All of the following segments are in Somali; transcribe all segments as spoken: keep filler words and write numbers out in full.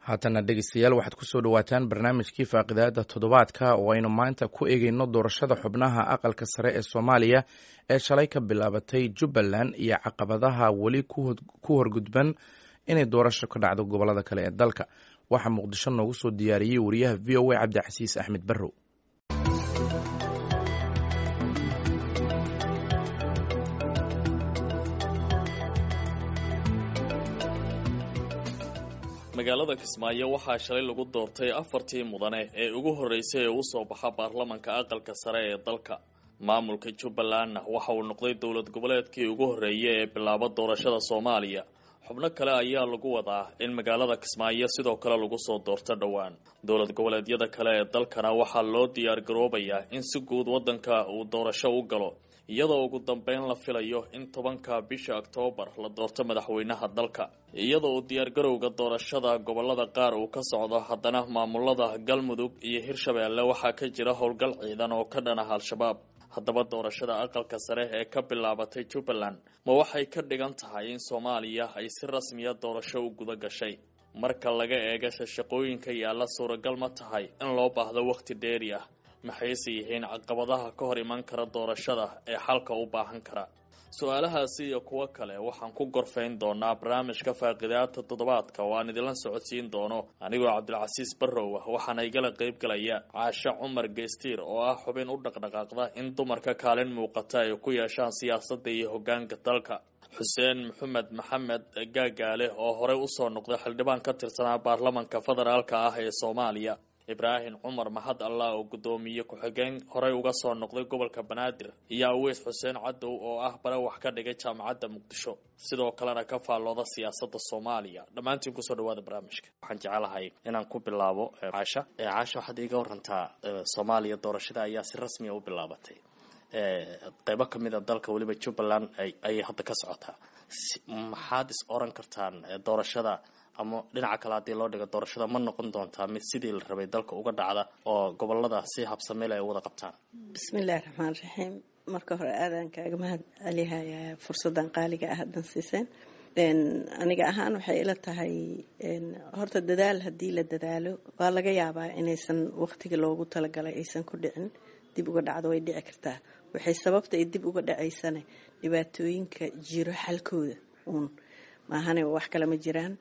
Haatana dhegeystayaal, waxaad kusoo dhawaataan barnaamijkii faaqidaada toddobaadka oo aynu maanta ku eegeyno doorashada xubnaha aqalka sare ee Soomaaliya ee shalay ka bilaabatay Jubbaland iyo caqabadaha weli ku horgudban inay doorasho ka dhacdo gobolada kale ee dalka. Waxaa Muqdisho noogu soo diyaariyey wariyaha V O A Cabdicasiis Axmed Barrow. Magaalada Kismaayo waxaa shalay lagu doortay afartii mudane ee ugu horreysay ee u soo baxa baarlamanka aqalka sare ee dalka. Maamulka Jubbalandna waxa uu noqday dowlad goboleedkii ugu horreeyay ee bilaaba doorashada Soomaaliya. Xubno kale ayaa lagu wadaa in magaalada Kismaayo sidoo kale lagu soo doorto dhowaan. Dowlad goboleedyada kale ee dalkana waxaa loo diyaar garoobayaa in si guud waddanka uu doorasho u galo, iyadoo ugu dambeyn la filayo in tobanka bisha Oktoobar la doorto madaxweynaha dalka. Iyadoo uu diyaargarowga doorashada gobolada qaar uu ka socdo, haddana maamulada Galmudug iyo Hirshabeelle waxaa ka jira howlgal ciidan oo ka dhan ah Al-Shabaab. Haddaba doorashada aqalka sare ee ka bilaabatay Jubbaland ma waxay ka dhigan tahay in Soomaaliya ay si rasmiya doorasho u guda gashay? Marka laga eega shaqooyinka yaalla, suuragal ma tahay in loo baahdo wakhti dheeri ah? Maxayse yihiin caqabadaha ka hor iman kara doorashada ee xalka u baahan kara? Su-aalahaasi iyo kuwo kale waxaan ku gorfayn doonaa barnaamijka faaqidaada toddobaadka oo aan idinla socodsiin doono anigoo Cabdilcasiis Barrow ah. Waxaana igala qayb galaya Caashe Cumar Geystiir oo ah xubin u dhaqdhaqaaqda in dumarka kaalin muuqata ay ku yeeshaan siyaasadda iyo hoggaanka dalka, Xuseen Maxamed Maxamed Gaagaale oo horey usoo noqday xildhibaan ka tirsanaa baarlamanka federaalka ah ee Soomaaliya, Ibraahim Cumar Mahad Allah oo guddoomiye ku-xigeen horey uga soo noqday gobolka Banaadir, iyo Aweys Xuseen Cadow oo ah bare wax ka dhigay jaamacadda Muqdisho, sidoo kalena ka faallooda siyaasadda Soomaaliya. Dhammaantiin kusoo dhawaada barnaamijka. Waxaan jecelahay inaan ku bilaabo Caasha. Caasha, waxaad iiga warantaa, Soomaaliya doorashada ayaa si rasmiya u bilaabatay, qeybo kamid a dalka weliba Jubbaland ayay hadda ka socotaa. Maxaad is oran kartaan doorashada, ama dhinaca kale haddii loo dhigo, doorashada ma noqon doontaa mid sidii la rabay dalka uga dhacda oo gobolada si habsameel ay wada qabtaan? Bismillahi raxmaan raxiim. Marka hore aadaan kaaga mahad celihayaa fursadan qaaliga ah haddan siiseen. Aniga ahaan waxay ila tahay, horta dadaal haddii la dadaalo waa laga yaabaa inaysan waqtiga loogu talagalay aysan ku dhicin, dib uga dhacdo way dhici kartaa. Waxay sababta ay dib uga dhacaysana dhibaatooyinka jiro xalkooda uun maahane, wax kale ma jiraan.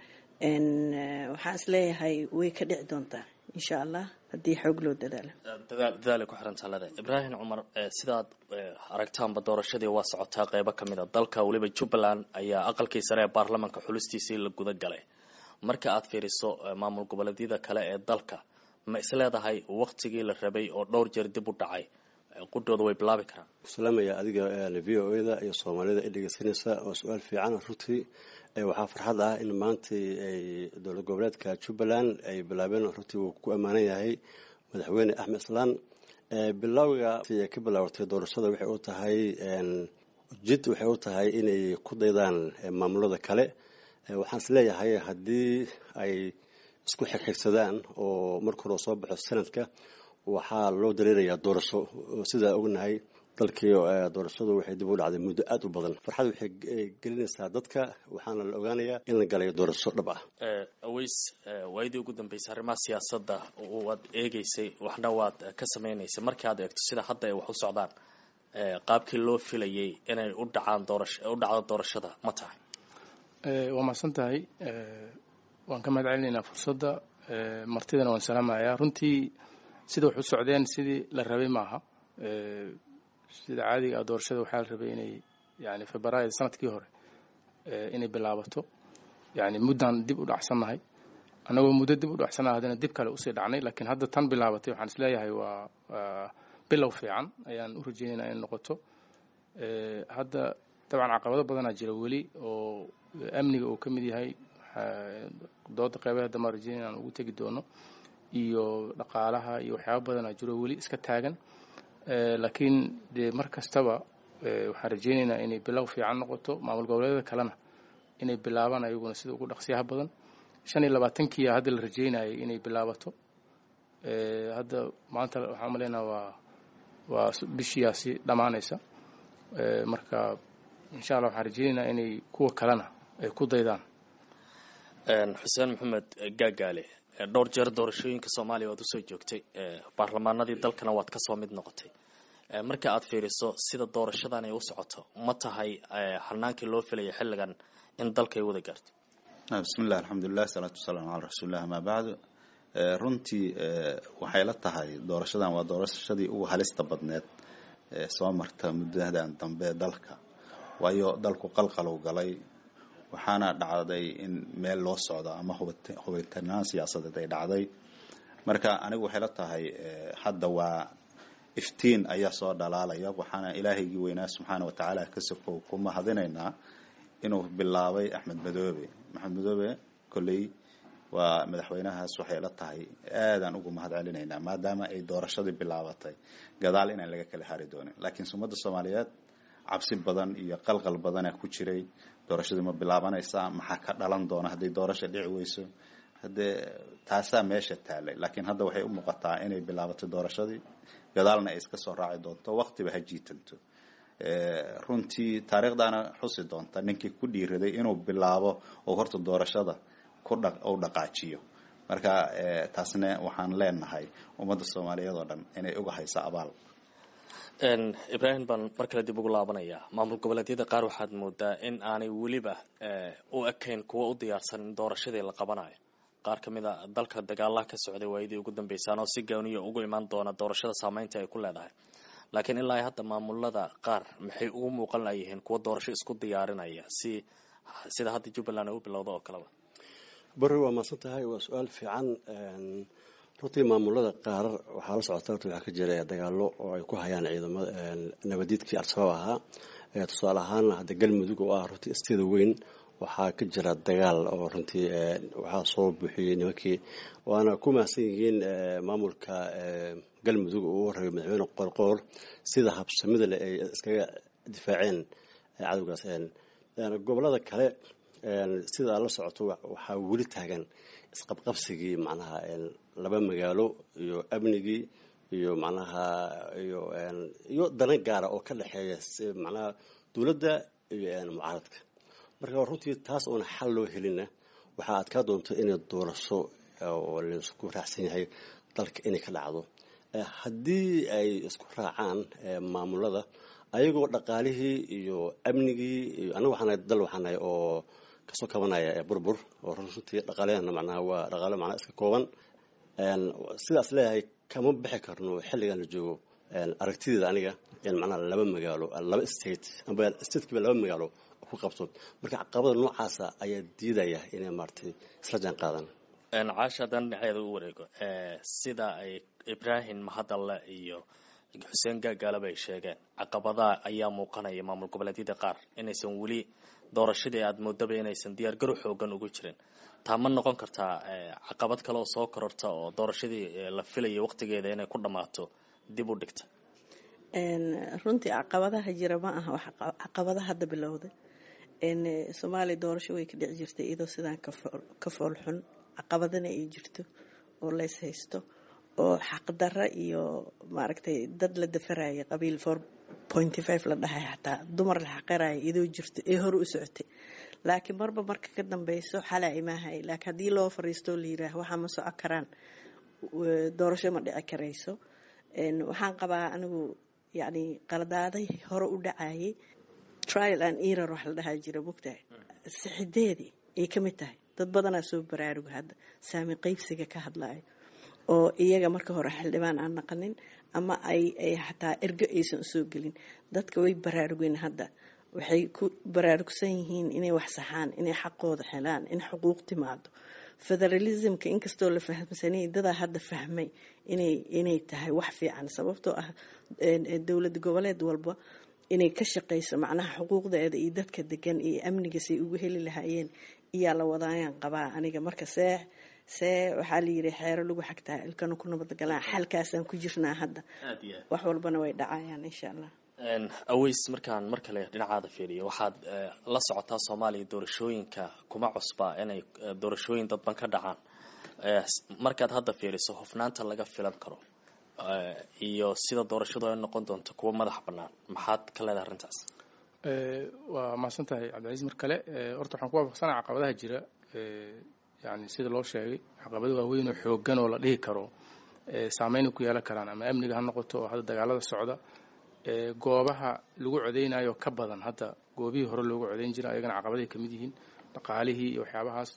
Waxaan isleeyahay way ka dhici doontaa insha Allah haddii xoog loo dadaalo. Dadaal dadaalay ku xiran taalada. Ibraahim Cumar, sidaad aragtaanba doorashadii waa socotaa qeybo kamid a dalka, weliba Jubbaland ayaa aqalkii sare ee baarlamanka xulistiisii la guda galay. Marka aad fiiriso maamul goboleedyada kale ee dalka, ma isleedahay waqtigii la rabay oo dhowr jeer dib u dhacay qudhooda way bilaabi karaan? Salaamaya adiga V O A da iyo Soomaalida i dhegeysanaysa. Waa su-aal fiican runtii. Waxaa farxad ah in maantai ay dowlad goboleedka Jubbaland ay bilaabeen. Runtii wuu ku ammaanan yahay madaxweyne Axmed Islaan bilowga ka bilaabatay doorashada. Waxay u tahay jid, waxay u tahay inay ku daydaan maamulada kale. Waxaan is leeyahay haddii ay isku xigxigsadaan oo marka hore soo baxo sanadka, waxaa loo dareerayaa doorasho. Sidaa ognahay dalkii doorashadu waxay dib u dhacday muddo aada u badan. Farxad waxay gelinaysaa dadka, waxaana la ogaanayaa in la galayo doorasho dhab ah. Aweys, waayadii ugu dambeysay arrimaha siyaasadda waad eegeysay, waxna waad ka sameynaysay. Markii aad eegto sida hadda ay wax u socdaan, qaabkii loo filayay inay u dhacaan doorasho u dhacdo doorashada ma tahay? Waa mahadsan tahay, waan ka mahad celinaynaa fursadda, martidana waan salaamayaa. Runtii sida wax u socdeen sidii la rabay maaha. Sida caadiga ah doorashada waxaa la rabay inay yani Febraayo sanadkii hore inay bilaabato. Yani muddaan dib u dhacsannahay, annagoo muddo dib u dhacsannahay haddana dib kale usii dhacnay. Laakiin hadda tan bilaabatay waxaan isleeyahay waa bilow fiican ayaan u rajeynaynaa inay noqoto. Hadda dabcan caqabado badanaa jira weli oo amniga uu ka mid yahay, dooda qeybaha dambe aan rajeynaya inaan ugu tegi doono, iyo dhaqaalaha iyo waxyaaba badanaa jiro weli iska taagan. Laakiin dee mar kastaba waxaan rajeynaynaa inay bilow fiican noqoto, maamul goboleedyada kalena inay bilaabaan ayaguna sida ugu dhaqsiyaha badan. Shan iyo labaatankiia hadda la rajeynayay inay bilaabato. Hadda maanta waxaan umaleynaa waa waa bishiyaasi dhammaanaysa. Marka insha Allah waxaan rajeynaynaa inay kuwa kalena ay ku daydaan. Xuseen Maxamed Gaagaale, dhowr jeer doorashooyinka Soomaaliya waad usoo joogtay, baarlamaanadii dalkana waad kasoo mid noqotay. Marka aad fiiriso sida doorashadan ay u socoto, ma tahay hanaankii loo filaya xilligan in dalka ay wada gaarto? Bismillah, alxamdulilah, salaatu wasalaamu calaa rasuulillah, amaa bacdu. Runtii waxay la tahay doorashadan waa doorashadii ugu halista badneed ee soo marta muddadan dambe dalka, waayo dalku qalqalow galay, waxaana dhacday in meel loo socdo ama hubitanaan siyaasadeed ay dhacday. Marka anigu waxay la tahay hadda waa iftiin ayaa soo dhalaalaya, waxaana ilaahaygii weynaa subxaana wa tacaala ka sokow ku mahadinaynaa inuu bilaabay Axmed Madoobe. Axmed Madoobe kolley waa madaxweynahaas, waxay la tahay aadaan ugu mahad celinaynaa maadaama ay doorashadii bilaabatay gadaal inaan laga kala hari doonin. Laakiin ummadda Soomaaliyeed cabsi badan iyo qalqal badanaa ku jiray, doorashadii ma bilaabanaysaa, maxaa ka dhalan doona hadday doorasha dhici weyso, haddee taasaa meesha taalay. Laakiin hadda waxay u muuqataa inay bilaabatay doorashadii, gadaalna ay iska soo raaci doonto, waqtiba ha jiitanto. Runtii taariikhdaana xusi doonta ninkii ku dhiiraday inuu bilaabo oo horta doorashada ku dha u dhaqaajiyo. Marka taasna waxaan leenahay ummadda Soomaaliyeed oo dhan inay uga hayso abaal. Ibraahim baan mar kale dib ugu laabanayaa. Maamul goboleedyada qaar waxaad moodaa in aanay weliba u ekayn kuwa u diyaarsan in doorashadii la qabanayo. Qaar ka mid a dalka dagaalaha ka socday waayadii ugu dambeysaan oo si gooniya ugu imaan doona doorashada saameynta ay ku leedahay, laakiin ilaa hadda maamulada qaar maxay ugu muuqan layihiin kuwa doorasho isku diyaarinaya si sida hadda Jubbaland ay u bilowda oo kaleba? Bari, waa mahadsan tahay, waa su-aal fiican. Runtii maamulada qaar waxaa la socota horta waxaa ka jira dagaalo oo ay ku hayaan ciidamada nabadiidkii Al-Shabaab ahaa. Tusaale ahaan hadda Galmudug oo ah runtii isteeda weyn waxaa ka jira dagaal oo runtii waxaa soo buuxiyey nimankii, waana ku mahadsan yihiin maamulka Galmudug oo u rabay madaxweyne Qoorqoor sida habsamida leh ay iskaga difaaceen cadowgaas. Gobolada kale sida la socoto waxaa weli taagan isqabqabsigii macnaha laba magaalo iyo amnigii iyo macnaha iyo iyo dana gaara oo ka dhexeeya macnaha dowladda iyo mucaaradka. Marka runtii taas oona xal loo helina waxaa adkaa doonto inay doorasho oo laisku raacsan yahay dalka inay ka dhacdo. Haddii ay isku raacaan maamulada ayagoo dhaqaalihii iyo amnigii iyo anaga waxaanahay dal waxaanahay oo kasoo kabanaya burbur oo runtii dhaqaalehana macnaha waa dhaqaale macnaha iska kooban, sidaas leeyahay kama bixi karno xilligan la joogo. Aragtideeda aniga in macnaha laba magaalo, laba state amba statekiiba laba magaalo ku qabto, marka caqabada noocaasa ayaa diidaya inay maaragtay isla jaan qaadan. Caasha, haddaan dhinaceeda u wareego, sida ay Ibraahim Mahadalle iyo Xuseen Gaagaalaba ay sheegeen, caqabadaha ayaa muuqanaya maamul goboleedyada qaar inaysan weli doorashadii aada moodaba inaysan diyaargarow xoogan ugu jirin. Taa ma noqon kartaa caqabad kale oo soo kororta oo doorashadii la filayay waqtigeeda inay ku dhammaato dib u dhigta? Runtii caqabadaha jira ma aha wax caqabadaha hadda bilowday. Soomaaliya doorasho way ka dhici jirtay iyadoo sidaan ka fool xun, caqabadana ay jirto oo lays haysto oo xaqdarra iyo maaragtay dad la dafaraya, qabiil four pointy five la dhahay, xataa dumar la xaqiraya iyadoo jirto ee hore u socotay. Laakiin marba marka ka dambeyso xalaa imaahay. Laakiin haddii loo fariisto la yiraah waxaa ma soco karaan, doorasho ma dhici karayso. Waxaan qabaa anigu yacni qaladaaday hore u dhacayay, trial and error wax la dhahaa jira, mogtahay, sixideedii ay ka mid tahay. Dad badanaa soo baraaruga hadda saami qeybsiga ka hadlayo oo iyaga marka hore xildhibaan aan naqanin ama ay ay xataa ergo aysan usoo gelin. Dadka way baraarugeen hadda, waxay ku baraarugsan yihiin inay wax saxaan, inay xaqooda helaan, in xuquuq timaado. Federalismka inkastoo la fahamsanayay, dadaa hadda fahmay inay inay tahay wax fiican, sababtoo ah dowlad goboleed walba inay ka shaqeyso macnaha xuquuqdeeda iyo dadka degan iyo amniga say ugu heli lahaayeen iyaa la wadaayaan qabaa aniga. Marka see see waxaa la yidhi xeero lagu xagtaa ilkana ku nabadgalaan, xalkaasaan ku jirnaa hadda, wax walbana way dhacayaan insha Allah. Aweys, markaan mar kale dhinacaada fiiriyo, waxaad la socotaa Soomaaliya doorashooyinka kuma cusba inay doorashooyin dadban ka dhacaan. Markaad hadda fiiriso hufnaanta laga filan karo iyo sida doorashadu ay noqon doonto kuwa madax bannaan, maxaad ka leedahay arrintaas? Waa mahadsan tahay, Cabdicasiis, mar kale. Horta waxaan ku waafaqsanaa caqabadaha jira Yani sida loo sheegay, caqabado waaweyn oo xooggan oo la dhihi karo saameynay ku yeelan karaan ama amniga ha noqoto oo hadda dagaalada socda, goobaha lagu codeynayo ka badan hadda goobihii hore loogu codeyn jiray, ayagana caqabaday ka mid yihiin, dhaqaalihii iyo waxyaabahaas.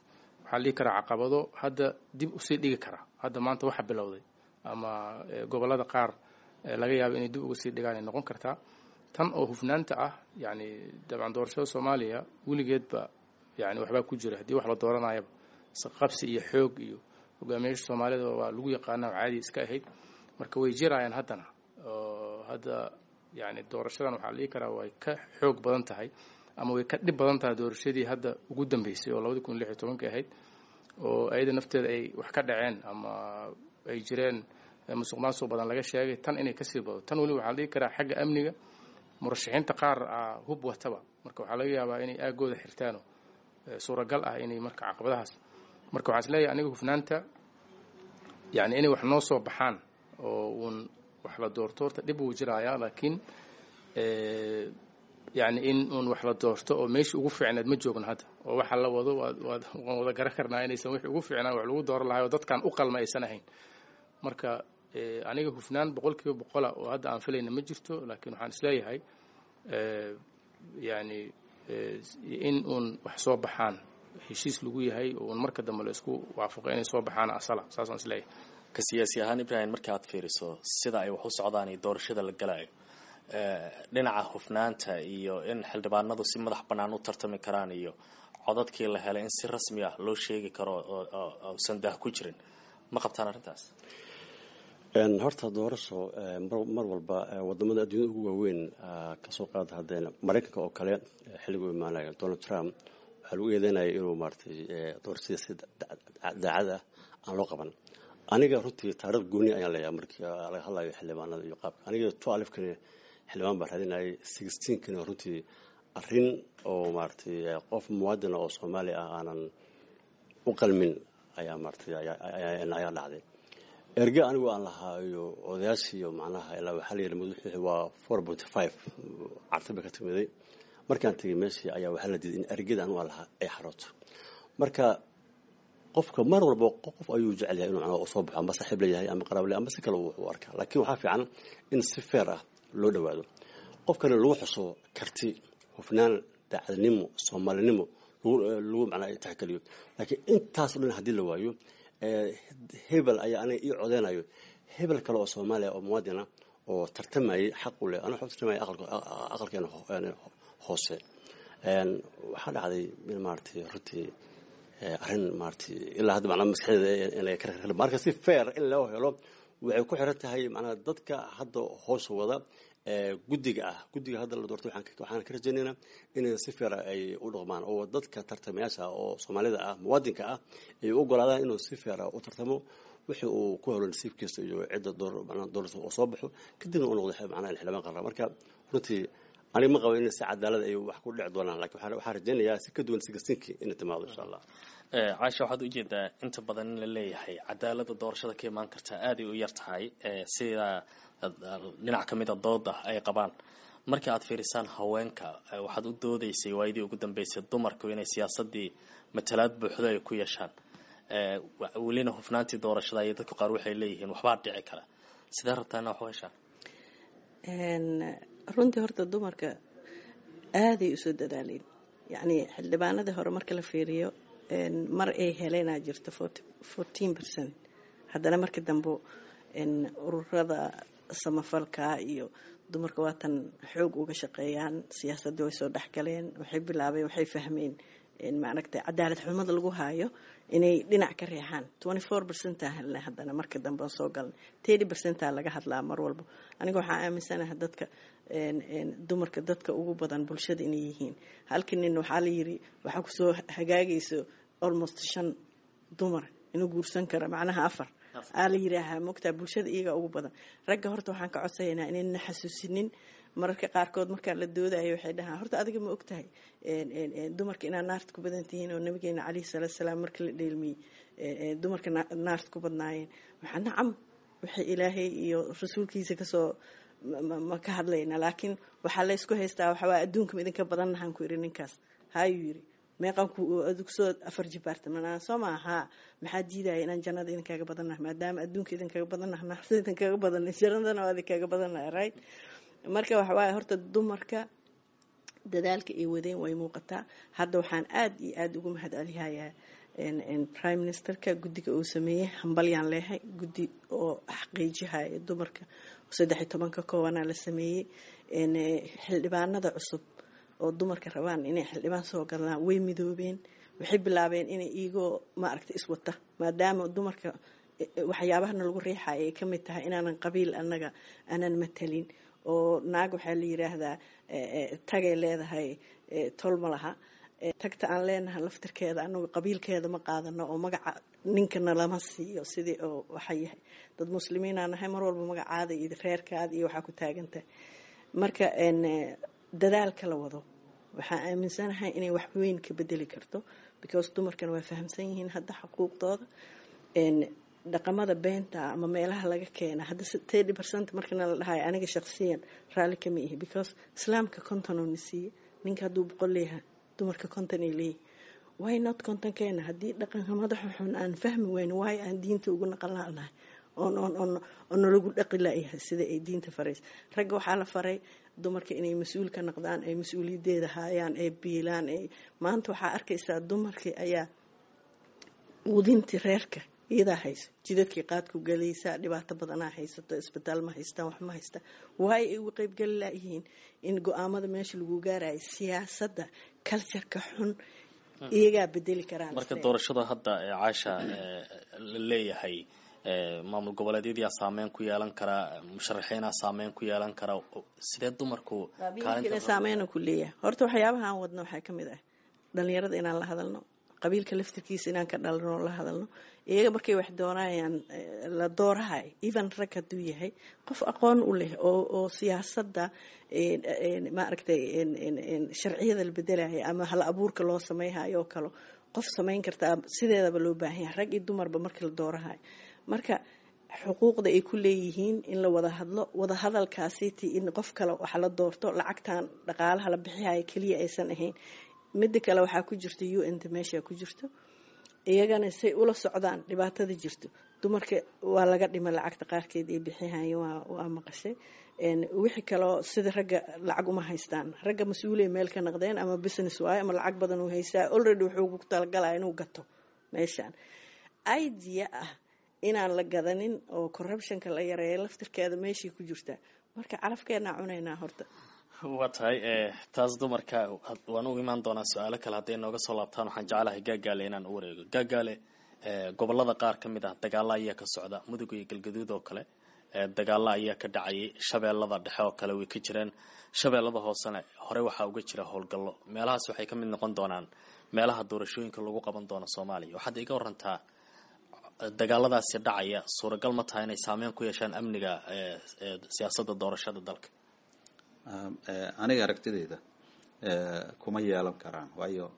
Waxaa la dhihi karaa caqabado hadda dib usii dhigi kara hadda maanta waxa bilowday ama gobollada qaar laga yaabo inay dib uga sii dhigaan ay noqon kartaa. Tan oo hufnaanta ah, yani dabcan doorashada Soomaaliya weligeedba yani waxbaa ku jira. Haddii wax la dooranayaba isqabsi iyo xoog iyo hogaamiyaasha Soomaalida waa lagu yaqaana, caadi iska ahayd. Marka way jirayaan haddana oo hadda yani doorashadan waxaa la dhihi karaa way ka xoog badan tahay ama way ka dhib badan tahay doorashadii hadda ugu dambeysay oo labadi kun lix iyo tobankii ahayd, oo ayada nafteeda ay wax ka dhaceen ama ay jireen musuq maasuq badan laga sheegay. Tan inay kasii bado tan weli waxaa la dhihi karaa xagga amniga murashaxiinta qaar a hub wataba, marka waxaa laga yaabaa inay aagooda xirtaano, suuragal ah inay marka caqabadahaas. Marka waxaan isleeyahay aniga hufnaanta, yani inay wax noo soo baxaan oo uun wax la doorto, horta dhib wuu jiraayaa, laakiin yani in uun wax la doorto oo meeshii ugu fiicneed ma joogno hadda, oo waxa la wado waad waad waan wada garan karnaa inaysan wixii ugu fiicnaan wax lagu dooran lahay oo dadkan u qalma aysan ahayn. Marka aniga hufnaan boqol kiiba boqola oo hadda aan filayna ma jirto, laakiin waxaan isleeyahay yani in uun wax soo baxaan heshiis lagu yahay oo uun marka dambe la isku waafaqo inay soo baxaan asala, saasaan isleeyahay. Ka siyaasi ahaan, Ibrahim, marka aad fiiriso sida ay wax u socdaan iyo doorashada la galayo, dhinaca hufnaanta iyo in xildhibaanadu si madax bannaan u tartami karaan iyo codadkii la helay in si rasmi ah loo sheegi karo oo usan daah ku jirin, ma qabtaan arrintaas? Horta doorasho mar walba wadamada adduunyada ugu waaweyn, kasoo qaada haddeen Maraykanka oo kale, xilligu imaanaya Donald Trump waxaa lagu eedeynaya inuu maaratay doorashada si daacad ah aan loo qaban. Aniga runtii taariikh gooni ayaan leeyahay markii laga hadlayo xildhibaanada iyo qaabka. Aniga twelve-kani xildhibaan baan raadinayay, sixteen-kani runtii arrin oo maaratay qof muwaadina oo Soomaali ah aanan u qalmin ayaa maaratay ayaa dhacday. Erge anigu aan lahaa iyo odayaashii iyo macnaha ilaa waxaa la yidhi madaxwixii waa four point five carti bay ka timiday. Markaan tegay meeshii ayaa waxaa la diiday in ergeda anigu aan lahaa ay xarooto. Marka qofka mar walba qof ayuu jecel yahay inuu macnaha soo baxo, ama saaxiib leeyahay ama qaraabo leeyahay ama si kale uu arkaa, laakiin waxaa fiican in si fair ah loo dhawaado, qofkana lagu xuso karti, hufnaan, daacadnimo, Soomaalinimo lagu macnaha tixgeliyo. Laakiin intaas oo dhan haddii la waayo, hebel ayaa aniga ii codeynayo, hebel kale oo Soomaaliya oo muwaadina oo tartamayay xaq u leh, aniga waxaan tartamayay aqalkeena hoose, waxaa dhacday in maaragtay runtii arrin maaragtay ilaa hadda macnaha maskaxdeeda inay ka. Marka si fair in loo helo waxay ku xiran tahay macnaha dadka hadda hoos wada guddiga ah, guddiga hadda la doortay, waxaan ka rajaynaynaa inay si fair ay u dhaqmaan oo dadka tartamayaasha oo Soomaalida ah, muwaadinka ah, ay u ogolaadaan inuu si fair u tartamo, wixii uu ku helo nasiibkiisa iyo cidda door macnaha doorashada oo soo baxo, kadibna uu noqdo macnaha xildhibaan qaran. Marka runtii aniga ma qabo in si cadaalad ay wax ku dhici doonaan, laakiin waxaan rajaynayaa si ka duwan sixteenkii inay timaado insha Allah. Caasha, waxaad ujeedaa inta badan in la leeyahay cadaaladda doorashada ka imaan kartaa aaday u yar tahay, sida dhinac ka mid a dooda ay qabaan. Marka aad fiirisaan haweenka, waxaad u doodaysay waayadii ugu dambeysay dumarku inay siyaasadii matalaad buuxdo ay ku yeeshaan, welina hufnaantii doorashada iyo dadku qaar waxay leeyihiin waxbaa dhici kara. Sidee rabtaa ina wax u heshaan? Runtii horta dumarka aaday usoo dadaaleen. Yacni xildhibaanadii hore marka la fiiriyo, mar ay heleenaa jirto fourteen percent, haddana markii dambe ururada samafalka iyo dumarka waatan xoog uga shaqeeyaan siyaasaddii, way soo dhexgaleen, waxay bilaabeen, waxay fahmeen maaragtay cadaalad xumada lagu haayo inay dhinac ka reexaan. Twenty four percent-aa helnay, haddana marka dambe aan soo galnay thirty percent-aa laga hadlaa mar walba. Aniga waxaa aaminsanaha dadka dumarka dadka ugu badan bulshada inay yihiin. Halkii nin waxaa la yiri waxaa kusoo hagaagayso almost shan dumar inuu guursan karo, macnaha afar aa la yiraahaa mogtaa, bulshada iyagaa ugu badan. Ragga horta waxaan ka codsaynaa inayna xasuusinin. Mararka qaarkood markaa la doodayo waxay dhahaan, horta adiga ma ogtahay dumarka inaad naarta ku badan tihiin oo nabigeena caleyhi salaatu salaam marka la dheelmiyey dumarka naarta ku badnaayeen? Waxaa nacam waxay Ilaahay iyo rasuulkiisa kasoo ma ka hadlayna, laakiin waxaa laysku haystaa waxawaa adduunka ma idinka badannahan ku yidhi ninkaas haayuu yidhi. Meeqaan kusoo afar jibaarta manaa soo maaha? Maxaa diidaya inaan jannada idinkaga badannahay? Maadaama adduunka idinkaga badannahay, naarta idinkaga badanay, jannadana waa idinkaga badannahay, right? Marka waxa waaye, horta dumarka dadaalka ay wadeen way muuqataa. Hadda waxaan aada iyo aada ugu mahad celihayaa prime ministerka guddiga uu sameeyey. Hambalyaan leehay. Guddi oo xaqiijihaya dumarka saddex iyo toban ka koobanaa la sameeyey. Xildhibaanada cusub oo dumarka rabaan inay xildhibaan soo galaan way midoobeen. Waxay bilaabeen inay iyagoo maaragtay iswata, maadaama dumarka waxyaabahana lagu riixaya ay kamid tahay inaanan qabiil annaga aanan matalin, oo naag waxaa la yiraahdaa tagay leedahay, tol ma laha. Tagta aan leenahay laftirkeeda anagu qabiilkeeda ma qaadano, oo magaca ninkana lama siiyo sidii oo waxa yahay. Dad muslimiinaa nahay, mar walba magacaada iyo reerkaada iyo waxaa ku taagantahay. Marka dadaalka la wado waxaa aaminsanahay inay wax weyn ka bedeli karto, because dumarkana waa fahamsan yihiin hadda xuquuqdooda. Dhaqamada beenta ama meelaha laga keena hadda thirty percent markana la dhahayo, aniga shaqsiyan raalli kama ihi, because Islaamka konton oo na siiye. Ninka hadduu boqol leeyahay, dumarka konton ay leeyihin. Why not kontonkeena? Haddii dhaqanka madaxa xun aan fahmi weyno, why aan diinta ugu naqan laanahay oon oon oon oo nalagu dhaqi layahay sida ay diinta faraysa? Ragga waxaa la faray dumarka inay mas-uul ka noqdaan, ay mas-uuliyaddeeda haayaan, ay biilaan. Ay maanta waxaa arkaysaa dumarkii ayaa quudintii reerka iyadaa hayso, jidadkii qaadku galaysaa, dhibaato badanaa haysato, isbitaal ma haystaan, wax ma haystaan. Waayo ay uga qeybgeli layihiin in go-aamada meesha lagu gaarayo siyaasadda? Cultureka xun iyagaa bedeli karaan. Marka doorashada hadda Caasha la leeyahay, maamul goboleedyadiyaa saameyn ku yeelan karaa, musharaxiinaa saameyn ku yeelan karaa, sidee dumarku? Qabiilkina saameyna ku leeyahay. Horta waxyaabaha aan wadno waxaa kamid ah dhalinyarada inaan la hadalno, qabiilka laftirkiisa inaan ka dhalano, la hadalno iyaga markay wax doonayaan la doorahay. Even rag hadduu yahay qof aqoon u leh oo oo siyaasadda, maaragtay, sharciyada la bedelaya ama hal abuurka loo sameyhayo oo kale qof samayn kartaa, sideedaba loo baahan yahay rag iyo dumarba marka la doorahayo. Marka xuquuqda ay ku leeyihiin in la wada hadlo, wada hadalkaasiti in qof kale waxa la doorto, lacagtan dhaqaalaha la bixihayo keliya aysan ahayn. Mida kale, waxaa ku jirta U N ta meesha ku jirto, iyagana say ula socdaan dhibaatada jirto. Dumarka waa laga dhima lacagta qaarkeed ay bixihayeen, waa waa maqashay. Wixii kaloo sida ragga lacag uma haystaan. Ragga mas-uulay meel ka naqdeen, ama business waayo ama lacag badan uu haystaa, already wuxuu ku talagalaya inuu gato meeshaan. Idea ah inaan la gadanin oo corruptionka la yareeyo laftirkeeda meeshay ku jirtaa. Marka calafkeenaa cunaynaa horta. Waa tahay. Taas dumarka waan u imaan doonaa. Su-aalo kale hadday nooga soo laabtaan, waxaan jeclahay Gaagaale inaan u wareego. Gaagaale, gobolada qaar ka mid ah dagaalo ayaa ka socda, Mudug iyo Galgaduud oo kale dagaalo ayaa ka dhacayay, Shabeellada Dhexe oo kale way ka jireen, Shabeellada Hoosena horey waxaa uga jira howlgallo. Meelahaas waxay ka mid noqon doonaan meelaha doorashooyinka lagu qaban doono Soomaaliya. Waxaad iga warantaa dagaaladaasi dhacaya, suuragal ma tahay inay saameyn ku yeeshaan amniga siyaasadda doorashada dalka? Aniga aragtidayda kuma yeelan karaan, waayo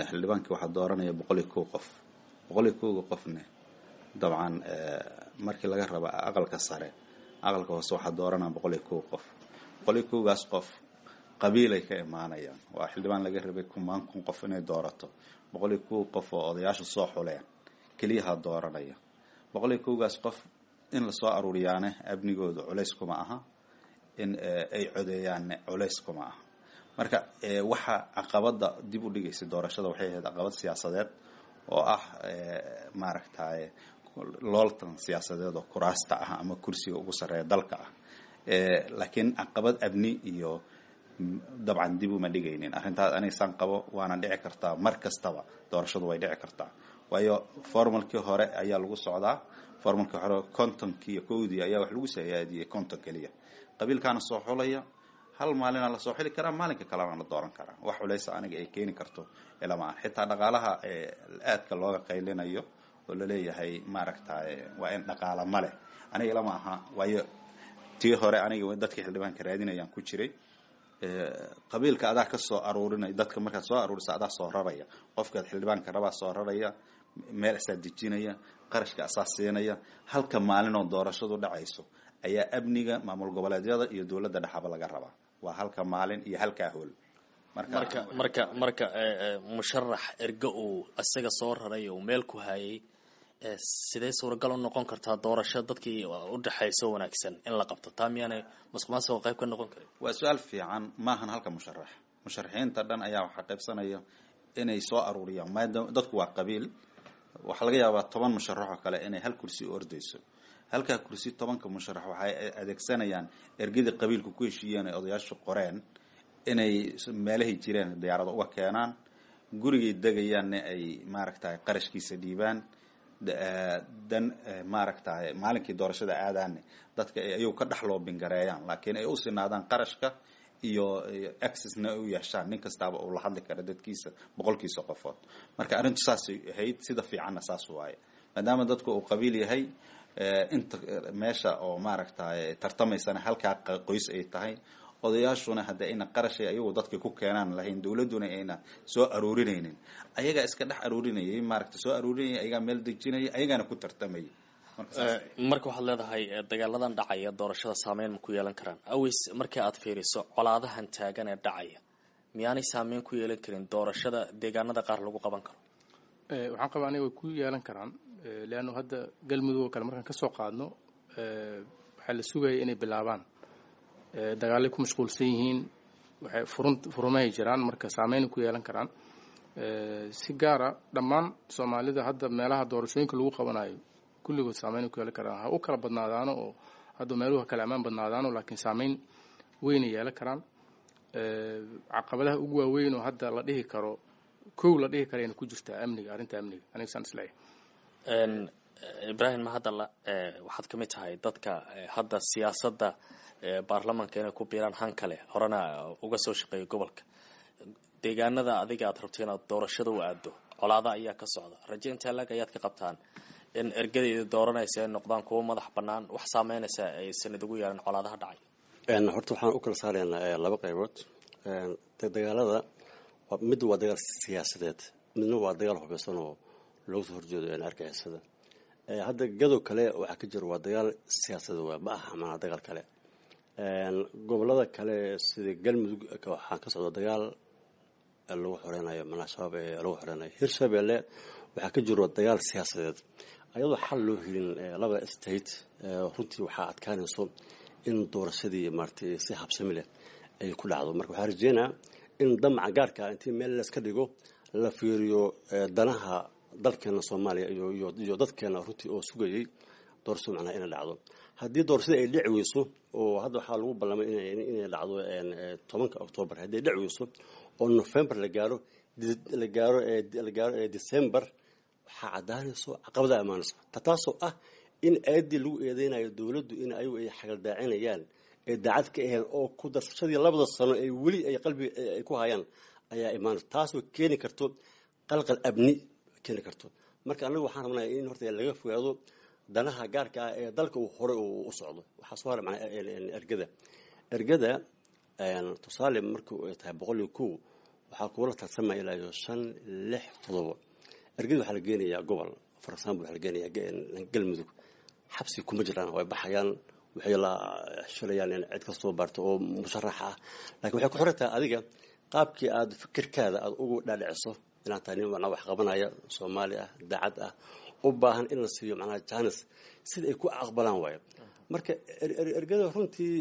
xildhibaankii waxaa dooranaya boqol iyo kow qof. Boqol iyo kowga qofne dabcan markii laga raba aqalka sare, aqalka hoose waxaa dooranaya boqol iyo kow qof. Boqol iyo kowgaas qof qabiilay ka imaanayaan. Waa xildhibaan laga rabay kumaan kun qof inay doorato, boqol iyo kow qof oo odayaashu soo xuleen keliyaha dooranaya. Boqol iyo kowgaas qof in lasoo aruuriyaane amnigooda culays kuma aha, in ay codeeyaanne culays kuma aha. Marka waxa caqabada dib u dhigaysa doorashada waxay ahayd caqabad siyaasadeed oo ah, maaragtay, looltan siyaasadeed oo kuraasta ah ama kursiga ugu sarreeya dalka ah. Laakiin caqabad amni iyo dabcan dib uma dhigaynin arrintaas. Aniga saan qabo, waana dhici kartaa mar kastaba, doorashadu way dhici kartaa, waayo formalkii hore ayaa lagu socdaa. Formalkii hore kontonkii iyo kowdii ayaa wax lagu sayaadiyey, konton keliya qabiilkaana soo xulaya. Hal maalina lasoo xili karaa, maalinka kalena la dooran karaa. Wax culaysa aniga ay keeni karto ilama ah. Xitaa dhaqaalaha aadka looga qaylinayo oo laleeyahay, maaragtay, waa in dhaqaala ma leh, aniga ilama aha, waayo tii hore aniga dadka xildhibaanka raadinayaan ku jiray. Qabiilka adaa ka soo aruurinaya dadka, markaad soo aruurisa adaa soo raraya, qofkaad xildhibaanka rabaa soo raraya, meel asaa dejinaya, qarashka asaa siinaya. Halka maalinoo doorashadu dhacayso ayaa amniga maamul goboleedyada iyo dowladda dhexaba laga rabaa, waa halka maalin iyo halkaa hool. Marka marka marka musharax erge uu isaga soo raray uu meel ku hayay, sidee suuragal u noqon kartaa doorasho dadkii u dhexayso wanaagsan in la qabto? Taa miyaanay musuqmaasuqa qayb ka noqon karin? Waa su-aal fiican. Maahan halka musharax, musharaxiinta dhan ayaa waxaa qaybsanaya inay soo aruuriyaan, maadaama dadku waa qabiil. Waxaa laga yaabaa toban musharax oo kale inay hal kursi u ordayso. Halkaa kursi tobanka musharax waxay adeegsanayaan ergadii qabiilku ku heshiiyeen ay odayaashu qoreen, inay meelahay jireen diyaarado uga keenaan, gurigay degayaanna ay maaragtay qarashkiisa dhiibaan, dan maaragtay maalinkii doorashada aadaanne dadka ay ayagu ka dhex loobingareeyaan, laakiin ay u sinaadaan qarashka iyo accessna ay u yeeshaan, nin kastaaba uu la hadli karo dadkiisa boqolkiisa qofood. Marka arrintu saasay ahayd, sida fiicanna saas waaye, maadaama dadku uu qabiil yahay, inta meesha oo maaragtay tartamaysana halkaa qoys ay tahay, odayaashuna hadda ayna qarashay ayagu dadka ku keenaan lahayn, dawladduna ayna soo aruurinaynin, ayagaa iska dhex aruurinayay, maaragta soo aruurinayay, ayagaa meel dejinaya, ayagaana ku tartamayay. Marka waxaad leedahay dagaaladan dhacaya doorashada saameyn ma ku yeelan karaan? Aways, markii aad fiiriso colaadahan taagan ee dhacaya, miyaanay saameyn ku yeelan karin doorashada deegaanada qaar lagu qaban karo? Waxaan qabaa aniga way ku yeelan karaan, leanno hadda Galmudug oo kale markaan kasoo qaadno, waxaa la sugaya inay bilaabaan, dagaalay ku mashquulsan yihiin, waxay furun furumahay jiraan. Marka saameyn ku yeelan karaan si gaara dhammaan Soomaalida hadda meelaha doorashooyinka lagu qabanayo, kulligood saameyn ku yeelan karaan. Ha u kala badnaadaano oo hadda meeluhu kala ammaan badnaadaano, laakiin saameyn weynay yeelan karaan. Caqabadaha ugu waaweyn oo hadda la dhihi karo, kow la dhihi karayna ku jirtaa amniga, arrinta amniga, aniga saan isleeyahay. Ibraahim Mahadalla, waxaad ka mid tahay dadka hadda siyaasadda baarlamanka inay ku biiraan han kale, horena uga soo shaqeeya gobolka. Deegaanada adiga aad rabto inaad doorashada u aado colaada ayaa ka socda. Rajo intee lag ayaad ka qabtaan in ergadayda dooranaysa ay noqdaan kuwo madax bannaan, wax saameynaysa aysan idigu yeelan colaadaha dhacay? Horta waxaan u kala saaraynaa laba qaybood dagaalada. Mid waa dagaal siyaasadeed, midna waa dagaal hubeysan oo looga soo horjeedo argagixisada. Hadda gadow kale waxaa ka jira waa dagaal siyaasadeed, waa ma aha maanaa dagaal kale. Gobolada kale sida Galmudug waxaa ka socda dagaal lagu xoreynayo manaa Shabaab ee lagu xoreynayo. Hirshabelle waxaa ka jiro dagaal siyaasadeed. Ayadoo xal loo helin labada state, runtii waxaa adkaanayso in doorashadii maaragtay si habsami leh ay ku dhacdo. Marka waxaa rajeynaa in damaca gaarka intii meel layska dhigo la fiiriyo danaha dalkeena Soomaaliya iyo iyo iyo dadkeena runtii oo sugayay doorashada macnaha inay dhacdo. Haddii doorashada ay dhici weyso, oo hadda waxaa lagu ballamay inay inay dhacdo tobanka Octoobar, haddii ay dhici weyso oo November la gaaro, la gaaro la gaaro December, waxaa caddaanayso caqabada imaanayso, taasoo ah in aadii lagu eedeynayo dowladdu in ayagu ay xagaldaacinayaan, ee daacad ka ahayn, oo ku darsashadii labada sano ee weli ay qalbiga ay ku hayaan ayaa imaanayso, taasoo keeni karto qalqal abni keeni karto. Marka anagu waxaan rabnaa in horta laga fogaado danaha gaarka ah ee dalka uu hore u socdo. Waxaa soo haray macnaa ergada. Ergada tusaale markii ay tahay boqol iyo kow, waxaa kuula tartamaya ilaa iyo shan, lix, todobo. Ergada waxaa la geenayaa gobol, for example waxaa la geenayaa Galmudug. Xabsi kuma jiraan, way baxayaan, waxay la shilayaan in cid kastoo baarto oo musharax ah, laakiin waxay ku xiran tahay adiga qaabkii aad fikirkaada aad ugu dhaadhiciso inaad tahay nin macnaa wax qabanaya, Soomaali ah, daacad ah, u baahan in la siiyo macnaha janis sida ay ku aqbalaan waayo. Marka ergada runtii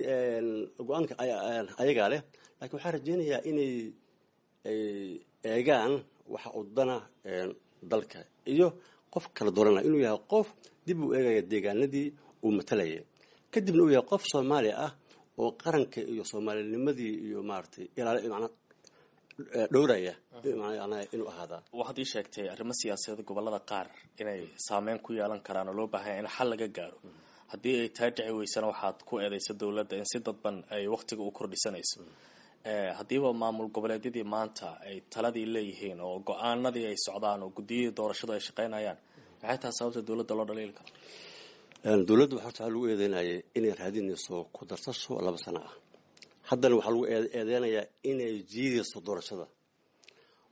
go-aanka ayagaa leh, laakiin waxaan rajeynayaa inay ay eegaan waxa uu dana dalka iyo qof kala dooranaya inuu yahay qof dib u eegaya deegaanadii uu matalayay, kadibna uu yahay qof Soomaali ah oo qaranka iyo soomaalinimadii iyo maaragtay ilaali macnaa dhowraya inuu ahaadaa. Waxaad ii sheegtay arrimo siyaasadeed gobolada qaar inay saameyn ku yeelan karaan oo loo baahanya in xal laga gaaro. Haddii ay taa dhici weysana, waxaad ku eedeysa dowladda in si dadban ay waqtiga u kordhisanayso. Haddiiba maamul goboleedyadii maanta ay taladii leeyihiin oo go-aanadii ay socdaan oo guddiyadii doorashadu ay shaqeynayaan, maxay tahay sababta dowladda loo dhaliili karo? Dowladda horta waxaa lagu eedeynayay inay raadinayso ku darsasho laba sano ah. Haddana waxaa lagu eedeynayaa inay jiidayso doorashada.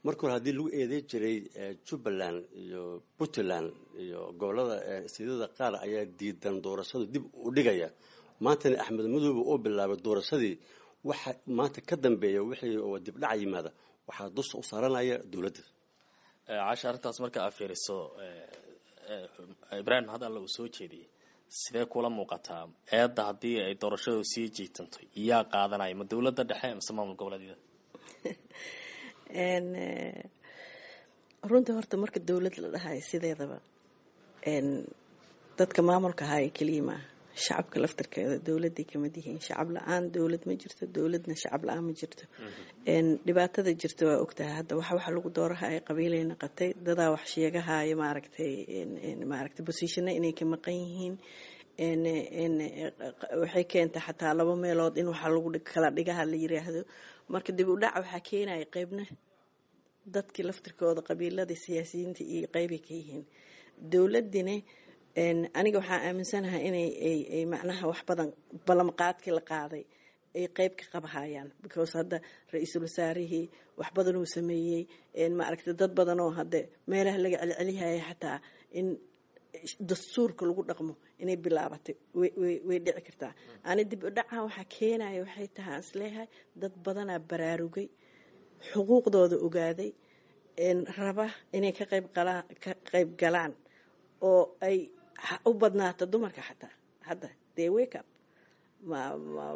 Marka hore haddii lagu eedeyn jiray Jubbaland iyo Puntland iyo gobolada siidada qaar ayaa diidan doorashadu dib u dhigaya, maantana Axmed Madoobe oo bilaabay doorashadii Waxa maanta ka dambeeya wixii oo dibdhac yimaada waxaa dusha u saaranaya dowladda. Casha, arrintaas marka aad fiiriso, Ibraahim had alla uu soo jeediyey, sidee kula muuqataa eedda haddii ay doorashadu sii jiitanto? Yaa qaadanaya, ma dowladda dhexe mise maamul goboleedyada? Runtii horta marka dowlad la dhahayo sideedaba dadka maamulka haya keliya maaha, shacabka laftarkeeda dowladay kamid yihiin. Shacab la-aan dowlad ma jirto, dowladna shacab la-aan ma jirto. Dhibaatada jirta waa ogtahay. Hadda waxa waxa lagu doorahaya qabiilay naqatay, dadaa wax sheegahaya maaragtay maaragtay bosiishana inay ka maqan yihiin. Waxay keentay xataa laba meelood in waxa lagu kala dhigaha la yiraahdo. Marka dib u dhac waxaa keenaya qeybna dadkii laftirkooda, qabiiladii, siyaasiyiinta iyo qeybay ka yihiin dowladina. Aniga waxaa aaminsanahay inay ay macnaha wax badan ballanqaadkii la qaaday ay qeyb ka qabahayaan, because hadda ra-iisul wasaarihii wax badan uu sameeyey, maaragtay dad badan oo hadda meelaha laga celcelihaya xataa in dastuurka lagu dhaqmo inay bilaabatay way dhici kartaa. Ani dib u dhaca waxaa keenaya waxay tahay aan isleeyahay dad badanaa baraarugay, xuquuqdooda ogaaday, raba inay ka qayb galaan ka qayb galaan oo ay u badnaato dumarka xataa hadda they wake up.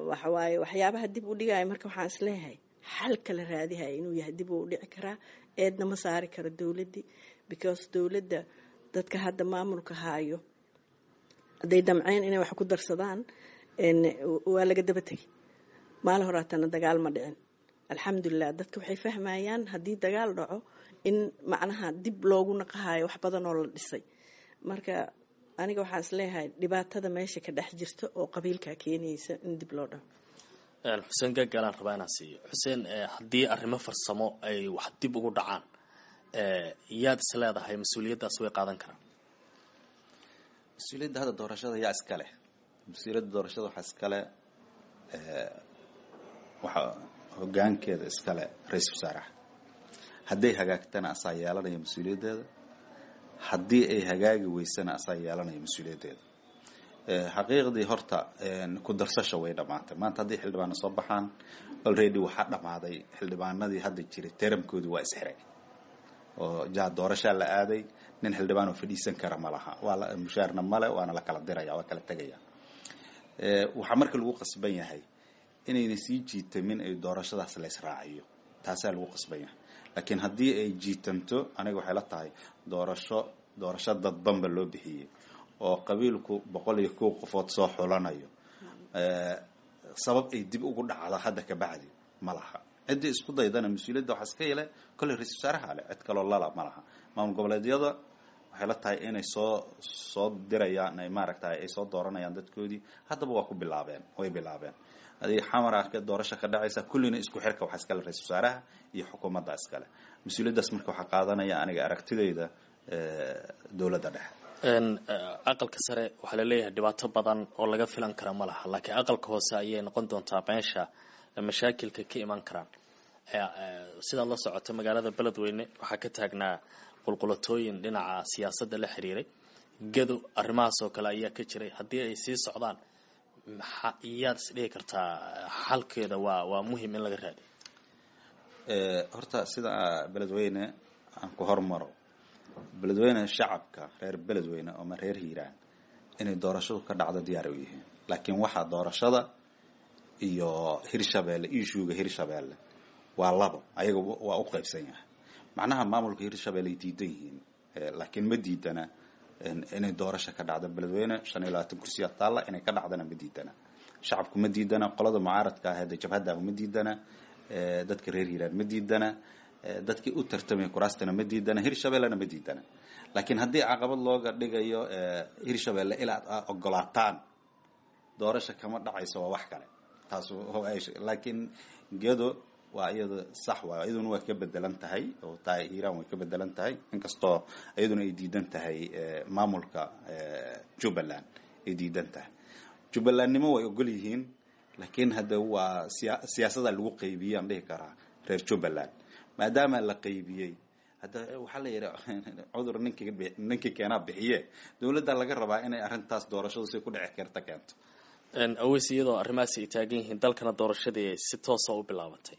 Waxawaaye waxyaabaha dib u dhigaya. Marka waxaan isleeyahay xalka la raadihaya inuu yahay dib uu dhici karaa, eedna ma saari karo dowladdii, because dowladda dadka hadda maamulka haayo hadday damceen inay wax ku darsadaan waa laga daba tegay. Maalin horaatana dagaal ma dhicin, alxamdulilah. Dadka waxay fahmayaan haddii dagaal dhaco in macnaha dib loogu naqahayo wax badan oo la dhisay. Marka aniga waxaan isleeyahay dhibaatada meesha ka dhex jirta oo qabiilkaa keenaysa in dib loo dhaco. Xuseen Gaagaalaan rabaa inaan siiyo. Xuseen, haddii arrimo farsamo ay wax dib ugu dhacaan, yaad is leedahay mas-uuliyaddaas way qaadan karaan? Mas-uuliyadda hadda doorashada yaa iska leh? Mas-uuliyadda doorashada waxaa iskale, waxaa hoggaankeeda iskale ra-iisul wasaaraha. Hadday hagaagtana asaa yeelanaya mas-uuliyaddeeda, haddii ay hagaagi weysana asaa yeelanaya mas-uuliyaddeeda. Xaqiiqdii horta ku darsasha way dhammaatay. Maanta haddii xildhibaano soo baxaan, already waxaa dhammaaday xildhibaanadii hadda jiray teramkoodii waa isxiray oo jaa doorashaa la aaday. Nin xildhibaan oo fadhiisan kara ma laha, waa la mushaarna male, waana la kala diraya, waa kala tegaya. Waxaa marka lagu qasban yahay inayna sii jiitamin ay doorashadaas la israaciyo, taasaa lagu qasban yahay. Laakiin haddii ay jiitanto, aniga waxay la tahay doorasho doorasho dadbanba loo bixiyey oo qabiilku boqol iyo kow qofood soo xulanayo, sabab ay dib ugu dhacdo hadda ka bacdi ma laha. Ciddii isku daydana mas-uuliyadda waxaa iska yele kolley ra-isul wasaaraha leh, cid kaloo lala ma laha. Maamul goboleedyada waxay la tahay inay soo soo dirayaan, ay maaragtay ay soo dooranayaan dadkoodii. Haddaba waa ku bilaabeen, way bilaabeen. Adiga xamara ka doorasho ka dhacaysa, kullina isku xirka waxaa iskale ra-isul wasaaraha iyo xukuumadda iskale mas-uuliyaddaas. Marka waxaa qaadanaya aniga aragtidayda dowladda dhexe. Aqalka sare waxaa laleeyahay dhibaato badan oo laga filan kara ma laha, laakiin aqalka hoose ayay noqon doontaa meesha mashaakilka ka iman karaan. Sidaad la socota, magaalada Beledweyne waxaa ka taagnaa qulqulatooyin dhinaca siyaasadda la xiriiray. Gado arrimahaas oo kale ayaa ka jiray. Haddii ay sii socdaan, maxa iyaad isdhihi kartaa xalkeeda waa waa muhim in laga raadiyo? Horta sida Beledweyne aan ku hormaro, Beledweyne shacabka reer Beledweyne ooma reer Hiiraan inay doorashadu ka dhacdo diyaar u yihiin, laakiin waxaa doorashada iyo Hirshabeelle, ishuuga Hirshabeelle waa labo, ayaga waa u qaybsan yahay. Macnaha maamulka Hirshabeelle ay diidan yihiin, laakiin ma diidana inay doorasho ka dhacdo Beledweyne. Shan iyo labaatan kursiya taalla, inay ka dhacdana ma diidana, shacabku ma diidana, qolada mucaaradka aheed jabhadda ma diidana, dadka reer Hiiraan ma diidana, dadkii u tartamaya kuraastana ma diidana, Hirshabellena ma diidana. Laakiin haddii caqabad looga dhigayo Hirshabelle ilaa aad ogolaataan doorasho kama dhacayso, waa wax kale taas. Laakiin Gedo waa iyada sax waay, iyaduna waa ka bedelan tahay oo tahay Hiiraan way ka bedelan tahay, inkastoo iyaduna ay diidan tahay maamulka Jubbaland ay diidan tahay. Jubbalandnimo way ogol yihiin, laakiin hadda waa siya siyaasada lagu qaybiyey aan dhihi karaa reer Jubbaland, maadaama la qaybiyey. Hadda waxaa la yidhi cudur ninkii ninkii keenaa bixiye, dowladda laga rabaa inay arrintaas doorashadu si ku dhici karta keento. Aweys, iyadoo arrimahaasi ay taagan yihiin, dalkana doorashadii ay si toosa u bilaabatay,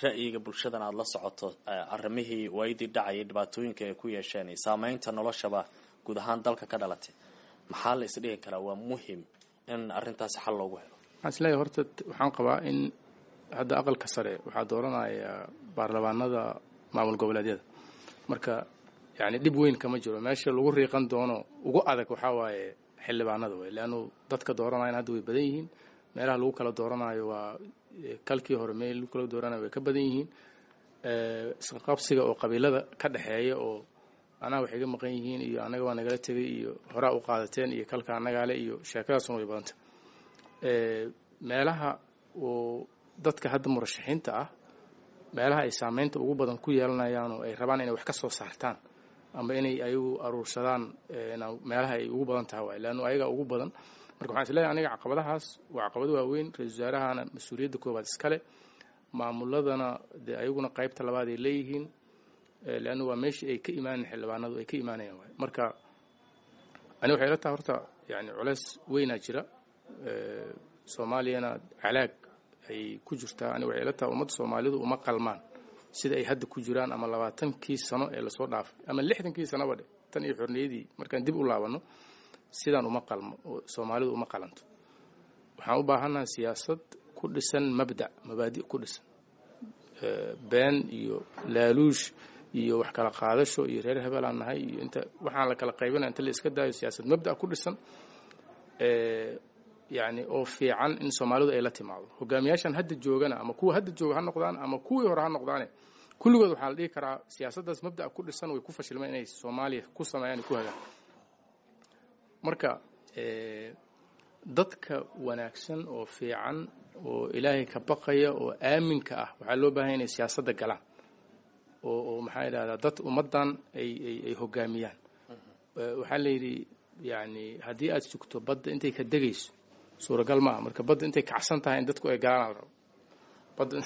ra'yiga bulshadana aada la socoto, arrimihii waayadii dhacayay dhibaatooyinka ay ku yeesheen iyo saameynta noloshaba guud ahaan dalka ka dhalatay, maxaa la isdhihi karaa waa muhim in arrintaasi xal loogu helo? Waxaan isleeyahay horta, waxaan qabaa in hadda aqalka sare waxaa dooranaya baarlamaanada maamul goboleedyada. Marka yani dhib weyn kama jiro. Meesha lagu riiqan doono ugu adag waxaa waaye xildhibaanada wey, leannu dadka dooranayana hadda way badan yihiin. Meelaha lagu kala dooranayo waa kalkii hore meel lagu kala dooranayo way ka badan yihiin. Isqabsiga oo qabiilada ka dhexeeya oo anaa waxay ga maqan yihiin iyo annaga waa nagala tegay iyo horaa u qaadateen iyo kalka annagaale iyo sheekadaasuna way badanta. Meelaha oo dadka hadda murashaxiinta ah, meelaha ay saameynta ugu badan ku yeelanayaan oo ay rabaan inay wax ka soo saartaan ama inay ayagu aruursadaan, meelaha ay ugu badan tahay waay, leannu ayagaa ugu badan. Marka waxaan isleeyahay aniga caqabadahaas waa caqabado waaweyn. Ra-isul wasaarahana mas-uuliyadda koowaad iskale, maamuladana dee ayaguna qaybta labaad ay leeyihiin, leannu waa meeshii ay ka imaanayen xildhibaanadu ay ka imaanayaan waay. Marka ani waxay ila tahay horta yani culeys weynaa jira, Soomaaliyana calaag ay ku jirtaa. Ani waxay ila tahay ummadda Soomaalidu uma qalmaan sida ay hadda ku jiraan, ama labaatankii sano ee lasoo dhaafay ama lixdankii sanoba dhe tan iyo xorniyadii markaan dib u laabanno, sidaan uma qalmo, Soomaalidu uma qalanto. Waxaan u baahannaha siyaasad ku dhisan mabda, mabaadi ku dhisan, been iyo laaluush iyo wax kala qaadasho iyo reer hebelaan nahay iyo inta waxaan la kala qaybinaya inta la iska daayo, siyaasad mabda ku dhisan yani oo fiican in Soomaalidu ay la timaado. Hogaamiyaashan hadda joogana, ama kuwa hadda jooga ha noqdaan ama kuwii hore ha noqdaane, kulligood waxaa la dhihi karaa siyaasaddaas mabda'a ku dhisan way ku fashilmeen inay Soomaaliya ku sameeyaan, ku hagaan. Marka dadka wanaagsan oo fiican oo Ilaahay ka baqaya oo aaminka ah waxaa loo baahanya inay siyaasadda galaan oo oo maxaa idhahdaa dad ummaddan ay ay ay hogaamiyaan. Waxaa la yidhi yani haddii aad sugto badda intay ka degayso suuragal maaha. Marka badda intay kacsan tahay in dadku ay galaan la rabo. Badda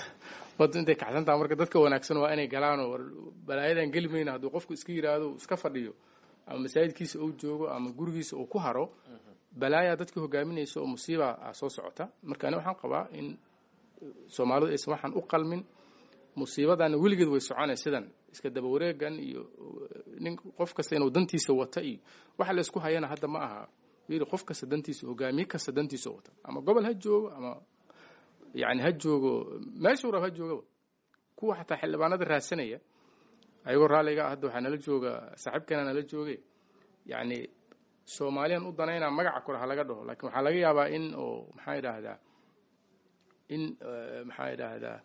badda intay kacsan tahay marka dadka wanaagsan waa inay galaanoo balaayadan geli mayna. Hadduu qofku iska yidhaahdo iska fadhiyo ama masaajidkiisa uu joogo ama gurigiisa uu ku haro, balaayaa dadka hogaaminaysa oo musiiba a soo socota. Marka ani waxaan qabaa in Soomaalidu aysan waxaan u qalmin, musiibadana weligeed way soconay sidan iska daba wareegan iyo nin qof kasta inuu dantiisa wata iyo waxa la isku hayana hadda ma aha yiri qof kasta dantiisa, hogaamiye kasta dantiisa wata, ama gobol ha joogo ama yani ha joogo meeshuu rab ha joogaba. Kuwa xataa xildhibaanada raadsanaya ayagoo raalliga ah, hadda waxaa nala jooga saaxiibkeena nala joogay, yacni Soomaaliyan u danaynaa magaca kore ha laga dhaho, laakiin waxaa laga yaabaa in oo maxaa idhaahdaa in maxaa idhaahdaa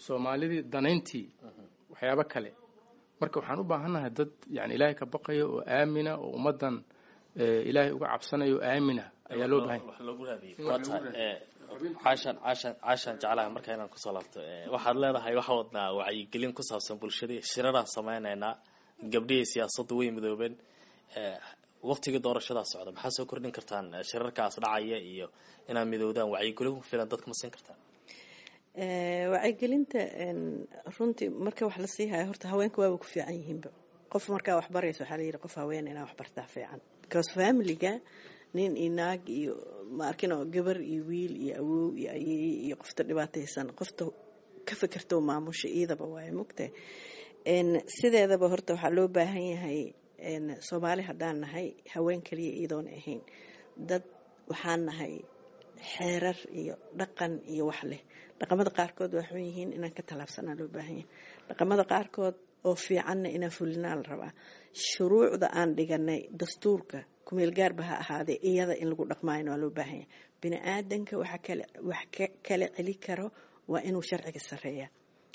Soomaalidii danayntii waxyaabo kale. Marka waxaan u baahannahay dad yani Ilaahay ka baqaya oo aamina oo ummaddan Ilaahay uga cabsanayo oo aamina ayaa loo bahan. Wax loogu raadiyay waa tahay. Caashaan caashaan caashaan jeclaha marka inaan kusoo laabto, waxaad leedahay waxaa wadnaa wacyigelin ku saabsan bulshadii, shiraraan sameynaynaa, gabdhihii siyaasaddu way midoobeen, waqtigii doorashadaa socda, maxaa soo kordhin kartaan shirarkaas dhacaya iyo inaad midoodaan? Wacyigelin ku filan dadka ma siin kartaan? Wacyigelinta runtii marka wax la sii hayo horta haweenka waaba ku fiican yihiinba. Qof markaa wax barayso waxaa layidhi qof haween inaa wax bartaa fiican, because familiga nin iyo naag iyo ma arkin oo gabar iyo wiil iyo awow iyo ayeeye iyo qofta dhibaataysan qofta ka fikirta maamusha iidaba waaye mugtahay. Sideedaba horta waxaa loo baahan yahay Soomaali haddaan nahay haween kaliya iyadoona ahayn, dad waxaan nahay xeerar iyo dhaqan iyo wax leh. Dhaqamada qaarkood waa xun yihiin, inaan ka tallaabsanaa loo baahan yahay. Dhaqamada qaarkood oo fiicanna inaan fulinaa la rabaa. Shuruucda aan dhiganay dastuurka kumeelgaarba ha ahaadee iyada in lagu dhaqmaayona waa loo baahan yahay. Bini aadanka waxa kale wax ka kala celi karo waa inuu sharciga sareeya.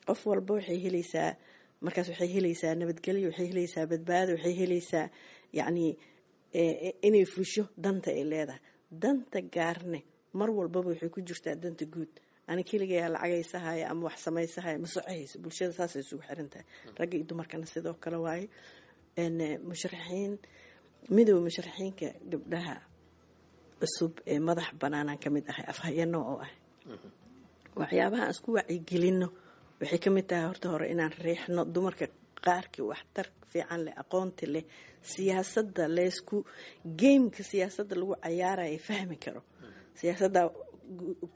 Qof walba waxay helaysaa markaas, waxay helaysaa nabadgelyo, waxay helaysaa badbaado, waxay helaysaa yacnii inay fusho danta ay leedahay. Danta gaarne mar walbaba waxay ku jirtaa danta guud. Ani keligayaa lacagaysahaya ama wax samaysahaya ma socohayso. Bulshada saasay isugu xiran tahay, ragga iyo dumarkana sidoo kale waaye. Musharaxiin midooda musharaxiinka gabdhaha cusub ee madax banaanaan ka mid ahay, afhayano oo ah waxyaabaha aan isku wacyigelino waxay ka mid tahay horta hore inaan riixno dumarka qaarkii waxtar fiican leh, aqoonti leh, siyaasadda laysku gameka siyaasadda lagu cayaaraya fahmi karo. Siyaasadda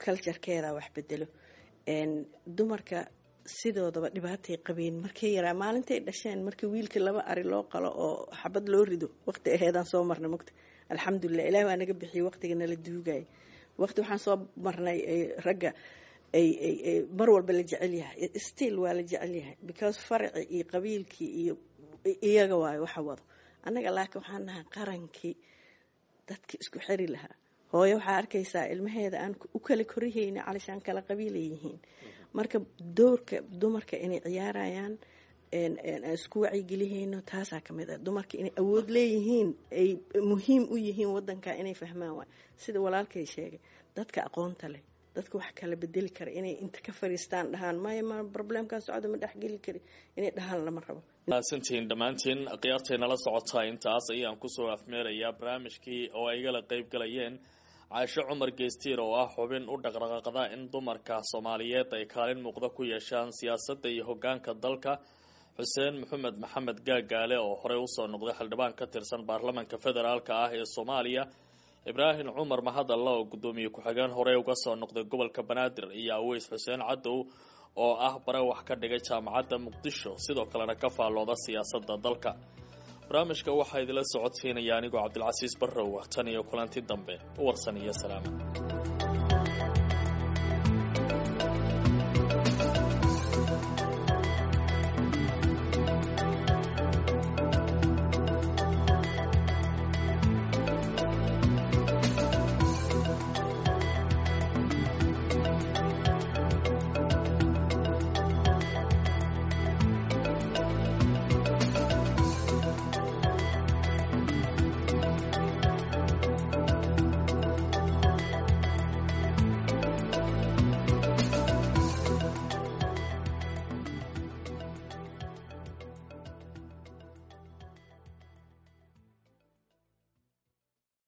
culturekeeda wax bedelo. Dumarka sidoodaba dhibaatay qabeen markay yaraa, maalintay dhasheen, markii wiilka laba ari loo qalo oo xabad loo rido, waqti aheedaan soo marnay mugta. Alxamdulilah, ilaah waa naga bixiyey waqtiga nala duugay. Waqti waxaan soo marnay ragga ay ay mar walba la jecel yahay. Still waa la jecel yahay, because faraci iyo qabiilkii iyo iyaga waayo waxa wado annaga. Laakiin waxaan nahay qarankii dadki isku xiri lahaa. Hooyo waxaa arkaysaa ilmaheeda aan u kala korihayna calishaan kala qabiilay yihiin. Marka doorka dumarka inay ciyaarayaan aan isku wacyigelihayno, taasaa ka mid ah. Dumarka inay awood leeyihiin, ay muhiim u yihiin wadanka, inay fahmaan waay. Sida walaalkay sheegay, dadka aqoonta leh, dadka wax kala bedeli kara, inay inta ka fariistaan dhahaan maya, ma problemkaa socda, ma dhexgeli kari, inay dhahaan lama rabo. Mahadsantihiin dhammaantiin khiyaartay nala socotaa. Intaas ayaan kusoo afmeerayaa barnaamijkii oo ay igala qayb galayeen Caasho Cumar Geestiir oo ah xubin u dhaqdhaqaaqda in dumarka Soomaaliyeed ay kaalin muuqda ku yeeshaan siyaasadda iyo hoggaanka dalka, Xuseen Maxamed Maxamed Gaagaale oo horey usoo noqday xildhibaan ka tirsan baarlamanka federaalka ah ee Soomaaliya, Ibraahim Cumar Mahadalla oo guddoomiye ku-xigeen horey uga soo noqday gobolka Banaadir, iyo Aweys Xuseen Cadow oo ah bare wax ka dhigay Jaamacadda Muqdisho, sidoo kalena ka faallooda siyaasadda dalka. Barnaamijka waxaa idinla socodsiinaya anigoo Cabdilcasiis Barrow. Tan iyo kulanti dambe, warsan iyo salaama.